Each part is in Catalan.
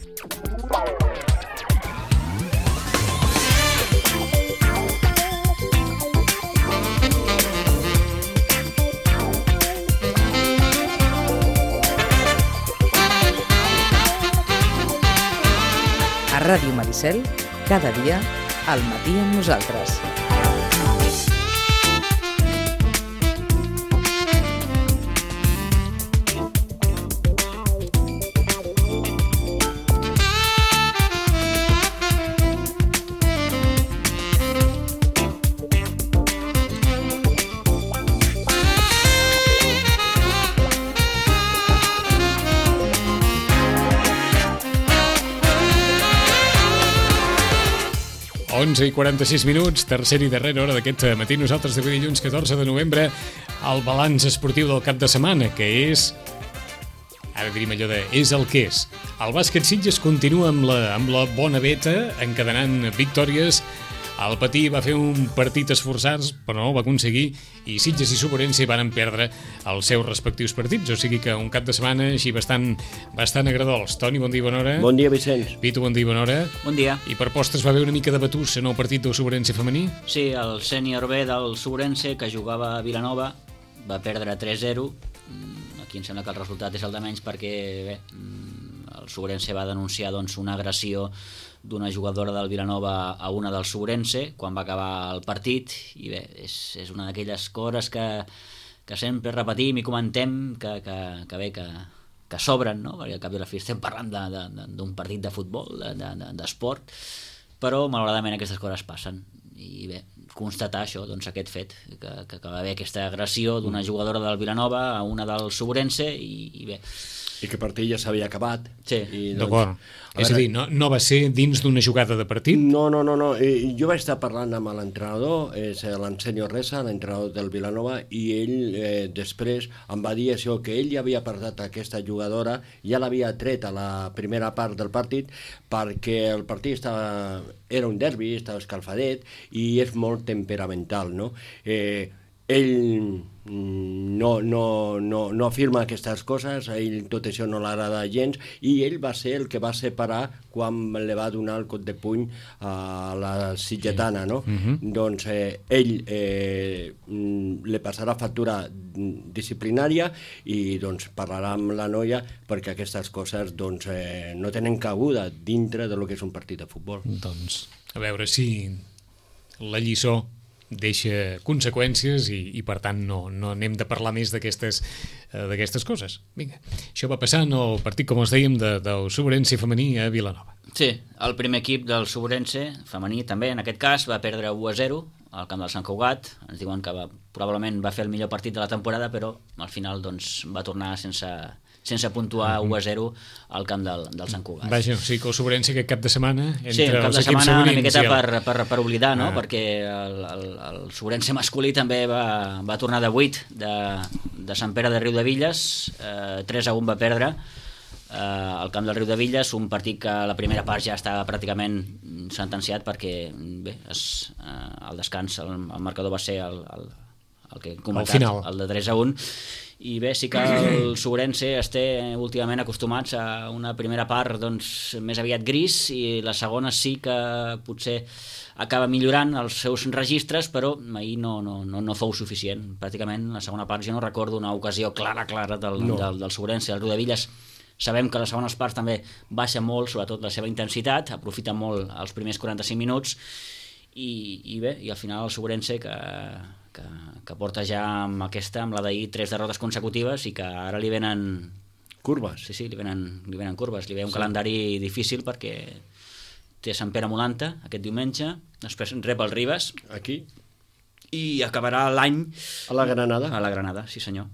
A Ràdio Maricel, cada dia, al matí amb nosaltres. I 46 minuts, tercera i darrera hora d'aquest matí. Nosaltres d'avui dilluns 14 de novembre, el balanç esportiu del cap de setmana, que és, ara diríem allò de, és el que és. El bàsquet Sitges continua amb la bona veta, encadenant victòries. El Patí va fer un partit esforçats, però no ho va aconseguir, i Sitges i Suburense van perdre els seus respectius partits, o sigui que un cap de setmana així bastant agradols. Toni, bon dia i bona hora. Bon dia, Vicenç. Pitu, bon dia i bona hora. Bon dia. I per postres va haver una mica de batús en el partit del Suburense femení? Sí, el sènior B del Suburense, que jugava a Vilanova, va perdre 3-0. Aquí em sembla que el resultat és el de menys perquè bé, el Suburense va denunciar una agressió d'una jugadora del Vilanova a una del Suburense quan va acabar el partit, i bé, és una d'aquelles coses que sempre repetim i comentem que sobren, no? Perquè al cap i a la fi estem parlant d'un partit de futbol, d'esport, però malauradament aquestes coses passen. I bé, constatar això, aquest fet, que va haver aquesta agressió d'una jugadora del Vilanova a una del Suburense, i bé, i que el partit ja s'havia acabat. Sí. D'acord. És a dir, no va ser dins d'una jugada de partit? No. Jo vaig estar parlant amb l'entrenador, és l'Ansenio Reza, l'entrenador del Vilanova, i ell després em va dir això, que ell ja havia perdut aquesta jugadora, ja l'havia tret a la primera part del partit, perquè el partit era un derbi, estava escalfadet, i és molt temperamental, no? Ell no afirma aquestes coses, a ell tot això no l'agrada gens, i ell va ser el que va separar quan li va donar el cop de puny a la sitgetana, no? Doncs ell li passarà factura disciplinària i parlarà amb la noia, perquè aquestes coses no tenen cabuda dintre del que és un partit de futbol. Doncs a veure si la lliçó deixa conseqüències i per tant no anem de parlar més d'aquestes coses. Vinga, això va passar en el partit, com us dèiem, del Suburense femení a Vilanova. Sí, el primer equip del Suburense femení també, en aquest cas, va perdre 1-0 al camp del Sant Cugat. Ens diuen que probablement va fer el millor partit de la temporada, però al final va tornar sense puntuar 1-0 al camp del Sant Cugat. Vaja, o sigui que el Suburense aquest cap de setmana sí, el cap de setmana una miqueta per oblidar, no? Perquè el Suburense masculí també va tornar de 8 de Sant Pere de Riudevilles, 3-1 va perdre al camp del Riudevilles, un partit que a la primera part ja estava pràcticament sentenciat perquè bé, al descans el marcador va ser el que hem comentat, el de 3-1. I bé, sí que el Suburense últimament acostumats a una primera part més aviat gris, i la segona sí que potser acaba millorant els seus registres, però ahir no fou suficient. Pràcticament la segona part jo no recordo una ocasió clara del Suburense. El Riudevilles sabem que les segones parts també baixa molt, sobretot la seva intensitat, aprofita molt els primers 45 minuts, i bé, i al final el Suburense que porta ja amb la d'ahir 3 derrotes consecutives, i que ara li venen curves. Sí, li venen curves, li ve un calendari difícil perquè té Sant Pere Molanta aquest diumenge, després rep el Ribes aquí, i acabarà l'any a la Granada, sí senyor,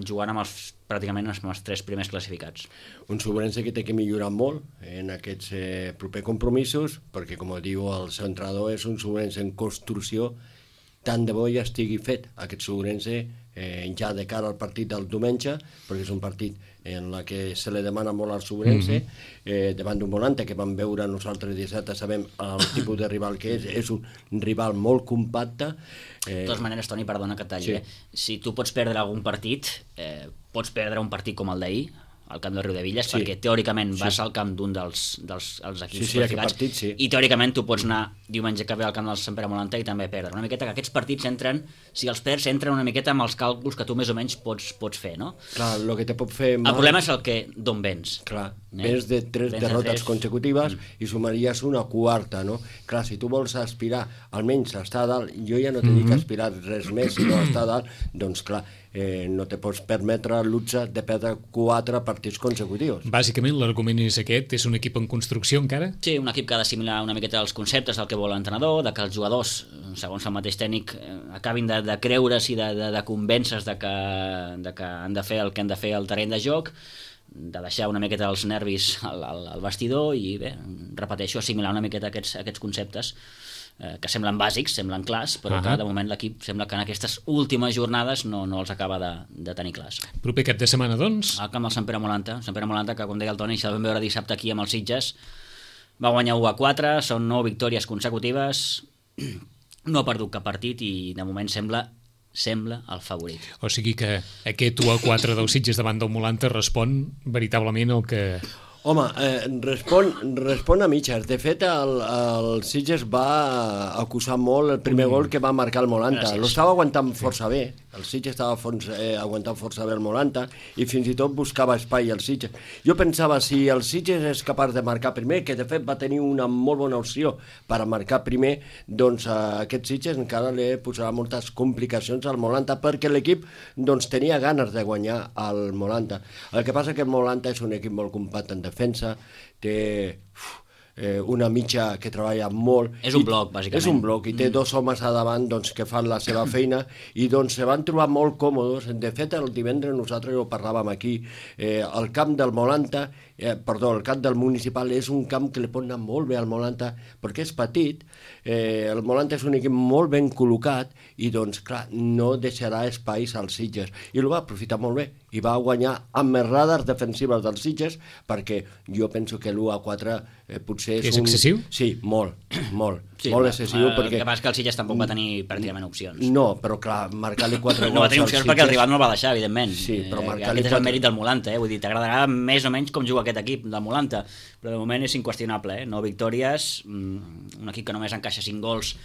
jugant amb pràcticament els 3 primers classificats. Un Suburense que té que millorar molt en aquests propers compromisos, perquè com diu el seu entrenador, és un Suburense en construcció. Tant de bo ja estigui fet aquest Suburense ja de cara al partit del diumenge, perquè és un partit en la que se li demana molt al Suburense, davant d'un Volante que vam veure nosaltres dissabte, sabem el tipus de rival que és un rival molt compacte. De totes maneres, Toni, perdona que et talli, si tu pots perdre algun partit, pots perdre un partit com el d'ahir, al camp de Riudevilles, perquè teòricament vas al camp d'un dels equips classificats, i teòricament tu pots anar diumenge que ve al camp del Sant Pere Molanta i també perdre. Una miqueta que aquests partits entren, si els perds, entren una miqueta amb els càlculs que tu més o menys pots fer, no? Clar, el que te pot fer mal... El problema és el que d'on vens. Clar, vens de 3 derrotes consecutives i sumaries una quarta, no? Clar, si tu vols aspirar almenys a estar a dalt, jo ja no te dic aspirar res més, sinó a estar a dalt, doncs clar, no te pots permetre el luxe de perdre 4 partits consecutius. Bàsicament l'argument és aquest, és un equip en construcció encara? Sí, un equip que ha d'assimilar una miqueta els conceptes del que vol l'entrenador, de que els jugadors, segons el mateix tècnic, acabin de creure's i de convèncer-se de que han de fer el que han de fer al terreny de joc, de deixar una miqueta els nervis al vestidor i bé, repeteixo, assimilar una miqueta aquests conceptes que semblen bàsics, semblen clars, però que de moment l'equip sembla que en aquestes últimes jornades no els acaba de tenir clars. Proper cap de setmana, doncs? Al camp del Sant Pere Molanta, que, com deia el Toni, això el vam veure dissabte aquí amb els Sitges, va guanyar 1-4, són 9 victòries consecutives, no ha perdut cap partit i de moment sembla el favorit. O sigui que aquest 1-4 dels Sitges davant del Molanta respon veritablement el que... Home, respon a mitges. De fet, el Sitges va acusar molt el primer gol que va marcar el Molanta. L'estava aguantant força bé. El Sitges estava aguantant força bé el Molanta i fins i tot buscava espai el Sitges. Jo pensava, si el Sitges és capaç de marcar primer, que de fet va tenir una molt bona opció per a marcar primer, doncs aquest Sitges encara li posarà moltes complicacions al Molanta, perquè l'equip doncs, tenia ganes de guanyar al Molanta. El que passa que el Molanta és un equip molt compacte en defensa, té una mitja que treballa molt. És un bloc, bàsicament. És un bloc, i té 2 homes a davant doncs, que fan la seva feina, i doncs se van trobar molt còmodes. De fet, el divendres nosaltres ho parlàvem aquí, el camp del Molanta, el camp del Municipal és un camp que li pot anar molt bé al Molanta, perquè és petit, el Molanta és un equip molt ben col·locat, i doncs, clar, no deixarà espais als Sitges. I ho va aprofitar molt bé, i va guanyar amb més radars defensives dels Sitges, perquè jo penso que l'1-4 potser és excessiu? Sí, molt sí, excessiu. Perquè... El que passa és que el Sitges tampoc va tenir pràcticament opcions. No, però clar, marcar-li 4 gols... No va tenir opcions perquè el rival no el va deixar, evidentment. Sí, però aquest és el mèrit del Molanta, vull dir, t'agradarà més o menys com juga aquest equip del Molanta, però de moment és inqüestionable, 9 victòries, un equip que només encaixa 5 gols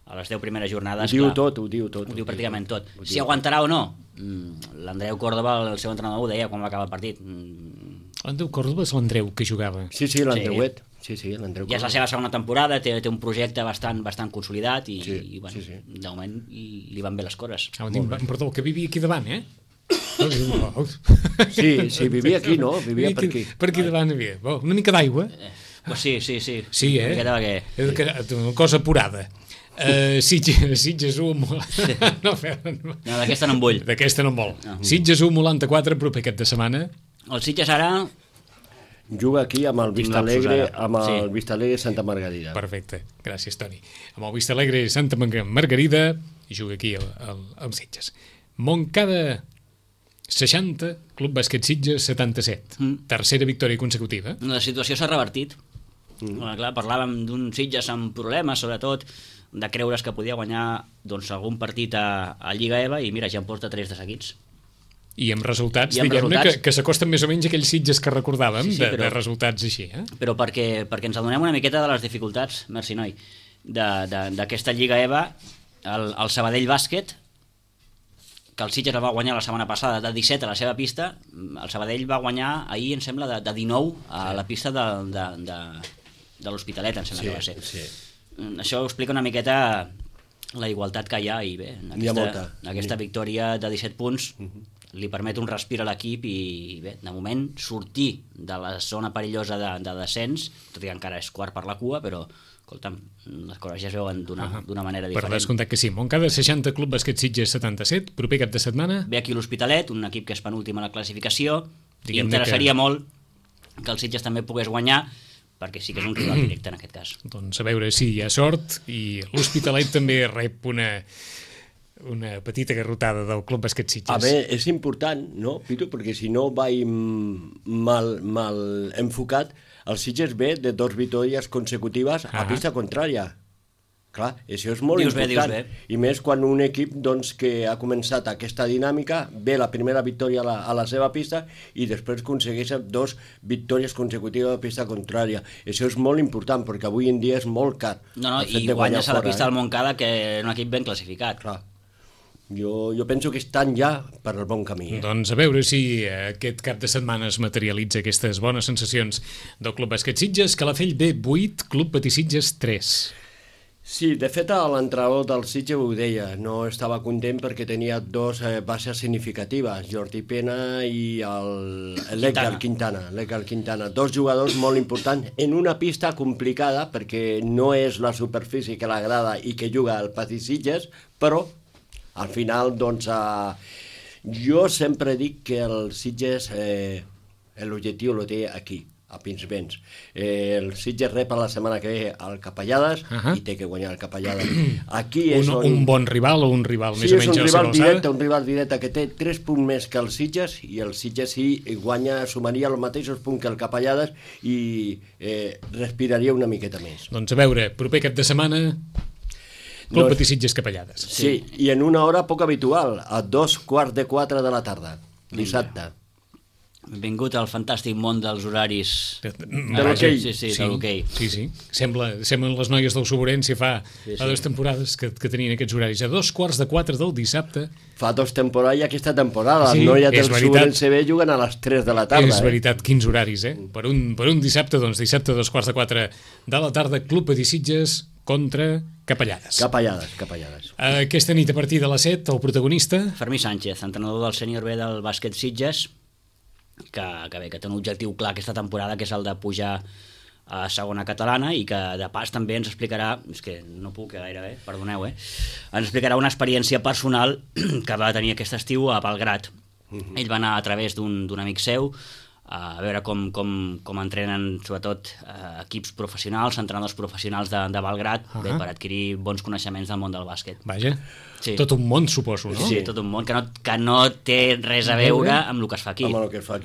a les 10 primeres jornades. Ho diu pràcticament tot. Si aguantarà o no, l'Andreu Córdoba, el seu entrenador, ho deia quan va acabar el partit. L'Andreu Córdoba és l'Andreu que jugava. Sí, l'Andreuet. Sí, l'Andreu Córdoba. Ja és la seva segona temporada, té un projecte bastant consolidat i bueno, de moment li van bé les coses. Perdó, que vivia aquí davant, Sí, vivia aquí, no? Vivia per aquí. Per aquí davant hi havia. Una mica d'aigua. Sí. Sí, una cosa apurada. Sitges 1... No, d'aquesta no en vull. D'aquesta no en vol. Sitges 1, Molanta 4, proper aquest de setmana. El Sitges ara... Juga aquí amb el Vistalegre, Vista Alegre Santa Margarida. Perfecte, gràcies Toni. Amb el Vistalegre Santa Margarida i juga aquí al Sitges. Montcada 60, Club Bàsquet Sitges 77. Tercera victòria consecutiva. La situació s'ha revertit. Clar, parlàvem d'un Sitges amb problemes, sobretot de creure's que podia guanyar doncs, algun partit a Lliga EVA i mira, ja en porta 3 de seguits. I amb resultats, diguem-ne, que s'acosten més o menys a aquells Sitges que recordàvem, de resultats així. Però perquè ens adonem una miqueta de les dificultats, merci noi, d'aquesta Lliga EVA, el Sabadell Bàsquet, que el Sitges el va guanyar la setmana passada de 17 a la seva pista, el Sabadell va guanyar ahir, em sembla, de 19 a la pista de l'Hospitalet, em sembla que va ser. Sí. Això ho explica una miqueta la igualtat que hi ha i bé, aquesta victòria de 17 punts li permet un respir a l'equip i bé, de moment sortir de la zona perillosa de descens, tot i que encara és quart per la cua, però escolta'm, les coses ja es veuen d'una manera diferent. Per descomptat que sí. Montcada 60, Club Bàsquet Sitges 77, proper cap de setmana. Ve aquí l'Hospitalet, un equip que és penúltim a la classificació, i interessaria molt que el Sitges també pogués guanyar, perquè sí que és un rival directe en aquest cas. Doncs a veure si hi ha sort, i l'Hospitalet també rep una petita garrotada del Club Bàsquet Sitges. A veure, és important, no, Pitu? Perquè si no vaig mal enfocat, el Sitges ve de 2 victòries consecutives a pista contrària. Clar, això és molt important. I més quan un equip doncs, que ha començat aquesta dinàmica, ve la primera victòria a la seva pista i després aconsegueix 2 victòries consecutives a la pista contrària. Això és molt important perquè avui en dia és molt car. No, i guanyes a la pista del Montcada, que és un equip ben classificat. Clar. Jo penso que estan ja per el bon camí. Doncs a veure si aquest cap de setmana es materialitza aquestes bones sensacions del Club Bàsquet Sitges. Calafell B 8, Club Patí Sitges 3. Sí, de fet l'entrenador del Sitges ho deia, no estava content perquè tenia 2 baixes significatives, Jordi Pena i l'Edgar Quintana. 2 jugadors molt importants en una pista complicada perquè no és la superfície que l'agrada i que juga al Patí Sitges, però al final, doncs, jo sempre dic que el Sitges l'objectiu el té aquí, a Pinsbens. El Sitges rep la setmana que ve al Capellades i té que guanyar el Capellades. Aquí és un bon rival o un rival més o menys a la seva alçada? Un rival directe que té 3 punts més que el Sitges i el Sitges sí guanya, sumaria els mateixos punts que el Capellades i respiraria una miqueta més. Doncs a veure, proper cap de setmana Club Patí Sitges Capellades. Sí, i en una hora poc habitual, a 3:15 de la tarda, dissabte. Benvingut al fantàstic món dels horaris de l'hoquei. Sí, de l'hoquei. Sí. Semblen les noies del Soborència fa 2 temporades que tenien aquests horaris. A 3:15 del dissabte. Fa 2 temporades i aquesta temporada. Les noies del Soborència B juguen a les 3 de la tarda. És veritat, quins horaris, Per un dissabte, doncs dissabte a 3:15 de la tarda, Club Patí Sitges contra Capellades. Capellades. Aquesta nit a partir de les 7, el protagonista... Fermí Sánchez, entrenador del sènior B del bàsquet Sitges, que té un objectiu clar aquesta temporada, que és el de pujar a segona catalana i que de pas també ens explicarà, és que no puc gairebé, perdoneu, ens explicarà una experiència personal que va tenir aquest estiu a Belgrad. Ell va anar a través d'un amic seu a veure com entrenen sobretot equips professionals, entrenadors professionals de Belgrad, per adquirir bons coneixements del món del bàsquet. Vaja, tot un món suposo, no? Sí, tot un món que no té res a veure amb el que es fa aquí.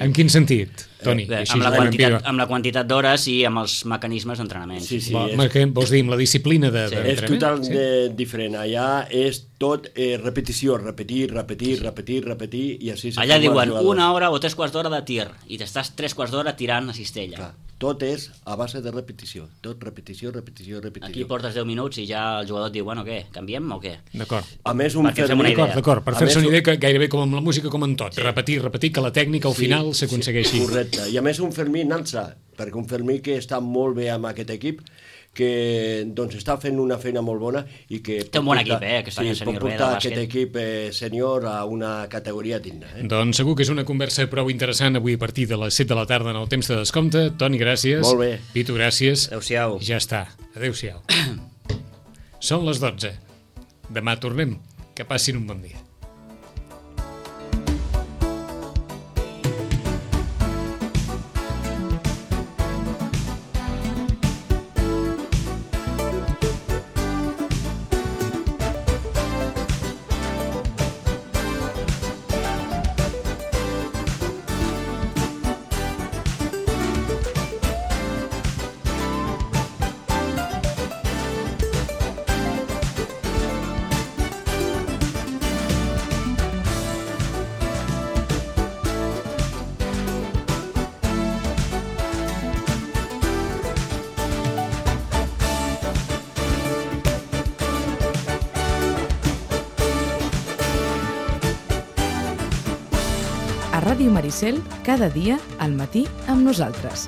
En quin sentit, Toni? Amb la quantitat d'hores i amb els mecanismes d'entrenament. Vols dir, amb la disciplina d'entrenament? És totalment diferent. Allà és tot repetició, repetir, i així... Allà diuen 1 hora o 3/4 d'hora de tir, i t'estàs 3/4 d'hora tirant a cistella. Clar. Tot és a base de repetició. Tot repetició. Aquí portes 10 minuts i ja el jugador et diu, bueno, què, canviem o què? D'acord. A més, D'acord, per fer-se una idea, que gairebé com amb la música, com en tot. Repetir, que la tècnica al final s'aconsegueixi. Correcte. I a més un Fermí Nansa, perquè un Fermí que està molt bé amb aquest equip, que doncs està fent una feina molt bona i que té un bon equip, aquest any sènior B de bàsquet. Pot portar aquest equip sènior a una categoria digna. Doncs segur que és una conversa prou interessant avui a partir de les 7 de la tarda en el temps de descompte. Toni, gràcies. Molt bé. Pitu, gràcies. Adéu-siau. Ja està. Adéu-siau. Són les 12. Demà tornem. Que passin un bon dia. A Ràdio Maricel, cada dia al matí amb nosaltres.